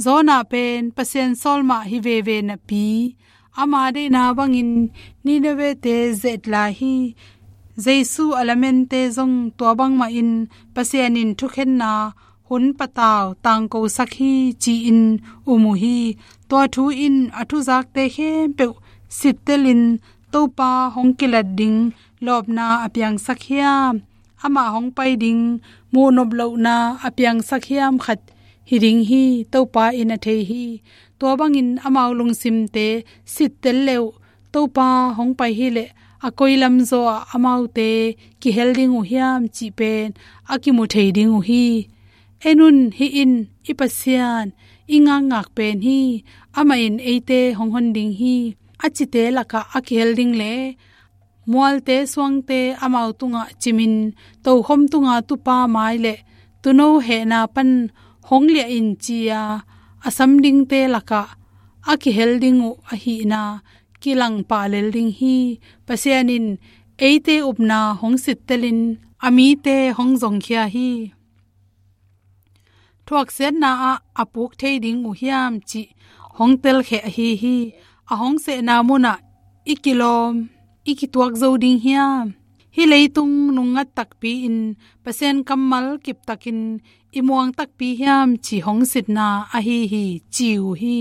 Jonah pen Pasian sawl mah hi veve napi, ama deihna bangin Nineveh-te zet lai hi. Jesu a lamente zong tua bangmahin Pasian in thukhenna hun patau tangkosak hi ci-in um uh hi. Tua thu in a thuzakte khempeuh sittelin Topa hong kilat ding lawpna a piangsak hiam? Amah hong pai ding muhnop lohna a piangsak hiam khat hi ding hi, Topa in a thei hi. Tua bangin amau lungsimte sittel leh uh Topa hong pai hileh a koi lamzaw ah amaute kihel ding uh hiam cih pen a kimu thei ding uh hi. En un, hih in i Pasian, i ngakngak pen hi. Amah in eite hong hon ding hi. A cite lakah a kihel ding le mualte suangte amau tungah cimin tokhom tunga tupa mai le tuuno hehna pan hong liah in ci-a a sam dingte lakah a kihel ding uh ahihna kilang pah lel ding hi. Pasian in eite upna hong sittelin a mite hong zongkhia hi. Thuaksiatna ah a puk thei ding uh hiam cih hong telkhia ahi hi. A hong sehna munah i kilawm, i kituak zo ding hiam? Hih leitung nungngat takpi-in Pasian kammal kiptakin i muang takpi hiam cih hong sitna ahi hi, ci uh hi.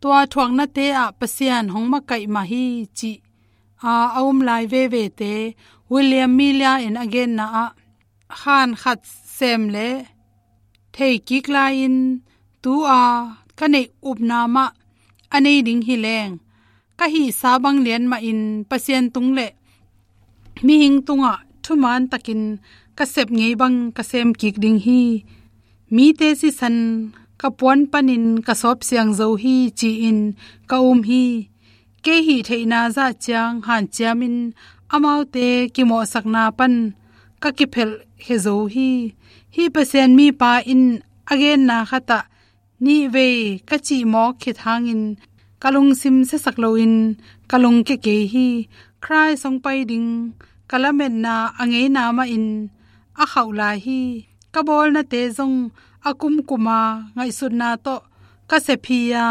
Tua thuaknate ah Pasian hong makaih mah hi cih a, a um lai vevete William Miller in a genna ah, khan khat sem le theikik lai-in tu-a ka neih upna mah a nei ding hi leng, ka hihsa bang lian mahin Pasian tung le mihing tungah thuman takin ka sep ngei bang ka sem kik ding hi. Mite sisan ka puan panin ka sawp siang zo hi ci-in ka um hi. Kei hih theihna zah ciang hanciamin amaute kimawhsakna pan ka kiphelh khia zo hi. Hih Pasian mipa in a genna khatah nihvei ka cihmawk khit hangin ka lungsim siasak loin ka lungkia kei hi. Khrist hong pai ding ka lametna a ngeina mahin a khauh lai hi. Ka bawlnate zong a kumkuma ngaihsutna tawh ka sep hi-a,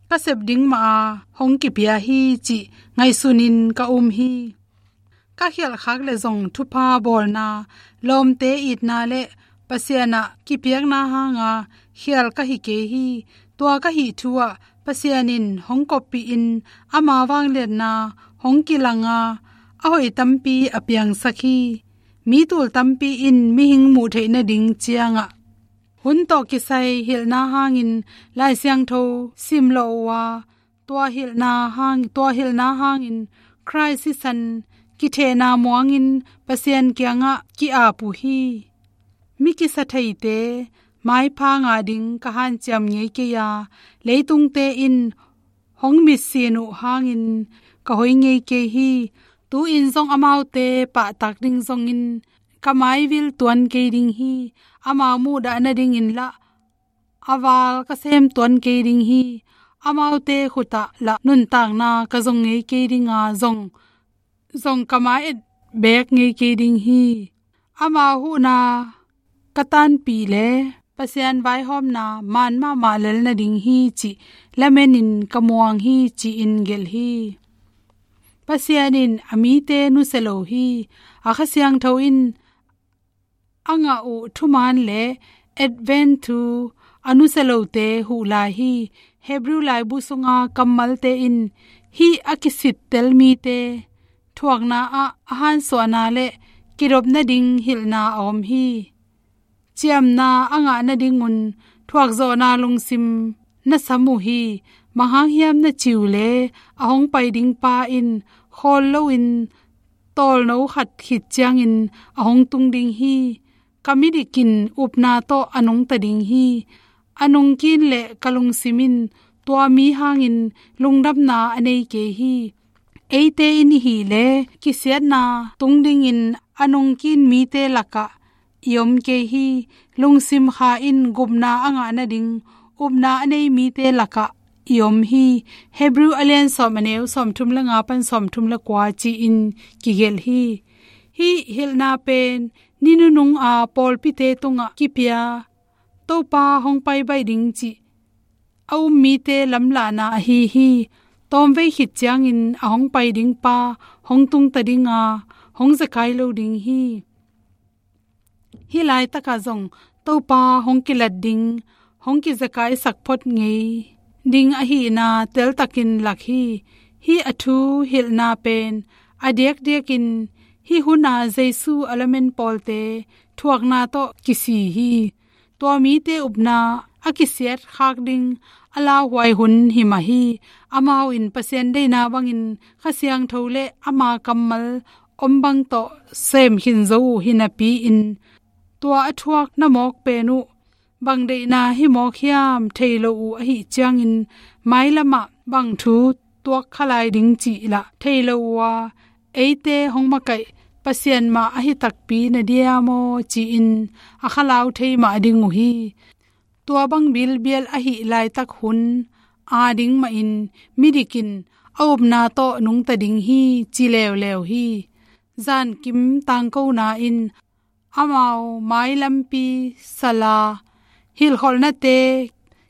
ka sep ding maha hong kipia hi cih ngaihsunin ka um hi. Ka khialhkhak le zong thupha bawlna, lawmte itna le Pasian ah kipiakna hanga khial ka hi kei hi. Tua ka hih thu ah Pasian in hong koppihin ama vangliatna hong kilanga a hoih tampi a piangsak hi. Mi tul tampi in mihing muh theih nading ciangah hun tawh kisai hilhna hangin Lai Siangtho simlawh uh a, tua hilhna hang, tua hilhna hangin Khrist sisan kithehna muangin Pasian kiangah ki-ap uh hi. Mi kisatheite maipha ngah ding ka hanciam ngei kei a, leitungte in hong mitsin uh hangin ka hoi ngei kei hi. Tu-in zong amaute pahtak ding zongin ka maivil tuan kei ding hi. Amau muhdah nadingin lah a val ka sem tuan kei ding hi. Amaute khutah lah nuntakna ka zong ngei kei dinga zong, zong ka mai-et beek ngei kei ding hi. Amau huhna ka tanpih le Pasian vaihawmna man mahmah lel nading hi cih lamenin ka muang hi ci-in gelh hi. Pasian in a mite nusia lo hi. A Kha Siangtho in a ngah uh thuman le Advent thu a nusia lote huh lai hi. Hebrew laibu sunga kammalte in hih a kisittel mite thuakna ah a hansuahna le kidop nading hilhna a om hi. Ciamna a ngah nadingun thuakzawhna lungsim na sam uh hi. Bang hang hiam na cih uh leh a hong pai ding pa in khawl loin tawlno khat khit ciangin a hong tung ding hi. Ka midik in upna tawh a nungta ding hi. A nungkin le ka lungsim in tua mi hangin lungdamna a nei kei hi. Eite in i hih leh kisiatna tung dingin a nungkin mite lakah i om kei hi. Lungsim kha in gupna a ngah nading upna a nei mite lakah i om hi. Hebrew a lian sawm, a neu sawmthum le nga pan sawmthum le kua ci-in kigelh hi. Hih hilhna pen ni nunung a pawlpite tungah kipia, Topa hong pai baih ding cih a um mite lamlahna ahi hi. Tawmvei khit ciangin a hong pai ding pa hong tungta ding a, hong zekai lo ding hi. Hih laitakah zong Topa hong kilat ding, hong kizekaisak phot ngei ding ahihna teltakin lak hi. Hih a thu hilhna pen a diakdiakin hih huna Jesu a lamen pawlte thuakna tawh kisi hi. Tua mite upna a kisiat khak ding a lauhuai hun hi mah hi. Amau in Pasian deihna bangin Kha Siangtho le ama kammal om bang tawh sem khin zo uh hi napi-in, tua a thuak na mawk pen uh bang deihna hi mawk hiam thei lo uh ahih ciangin, mailamah bang thu tuak kha lai ding cih lah thei lo uh a, eite hong makaih Pasian mah ahi takpi na diam aw ci-in a khalau thei mah ding uh hi. Tua bang bilbial ahih laitak hun a ding mahin midik in a upna tawh nungta ding hi ci leuleu hi. Zankim tangkona in amau mailampi sala hilhkholhnate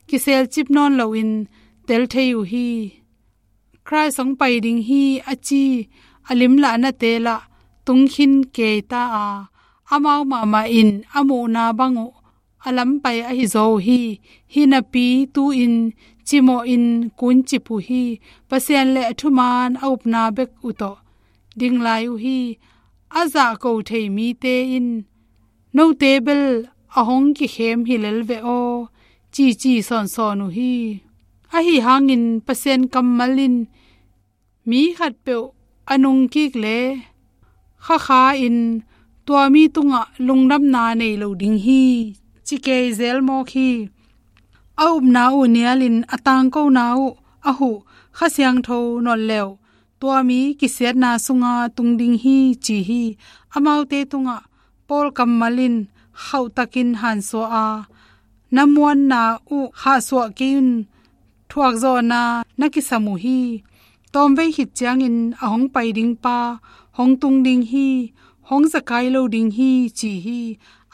kiselcip nawn loin tel thei uh hi. Khrist hong pai ding hi a ci a limlahnate lah tungkhin kei ta a, amau mahmah in a muhna bang uh a lampai ahi zaw uh hi. Hi napi tu-in cimawhin kuncip uh hi. Pasian le a thuman a upna bek uh tawh ding lai uh hi. A zahko thei mite in, "Note bel a hong kikhem hi lel ve aw," cici sawnsawn uh hi. Ahi hangin Pasian kammal in mi khatpeuh a nungkik le khakha in tua mi tungah lungdamna nei lo ding hi ci kei zel mawk hi. A upna uh nialin a tangkona uh a huh Kha Siangtho nawn leuh tua mi kisiatna sunga tung ding hi ci hi. Amaute tungah Paul kammal in khauhtakin hansuah a, na muanna uh khahsuah kei un, thuakzawhna na kisam uh hi. Tawmvei khit ciangin a hong pai ding pa hong tung ding hi, hong zekai lo ding hi ci hi.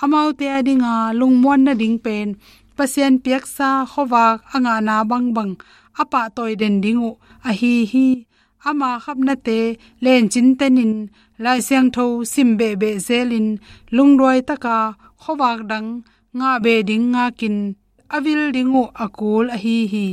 Amaute a dinga lungmuan nading pen Pasian piaksa khuavak a ngahna bangbang a pahtawi den ding uh ahi hi. Ama khapnate lencin tenin Lai Siangtho sim behbeh zelin lungduai taka khuavak dang ngah beh ding ngakin a vil ding uh a kul ahi hi.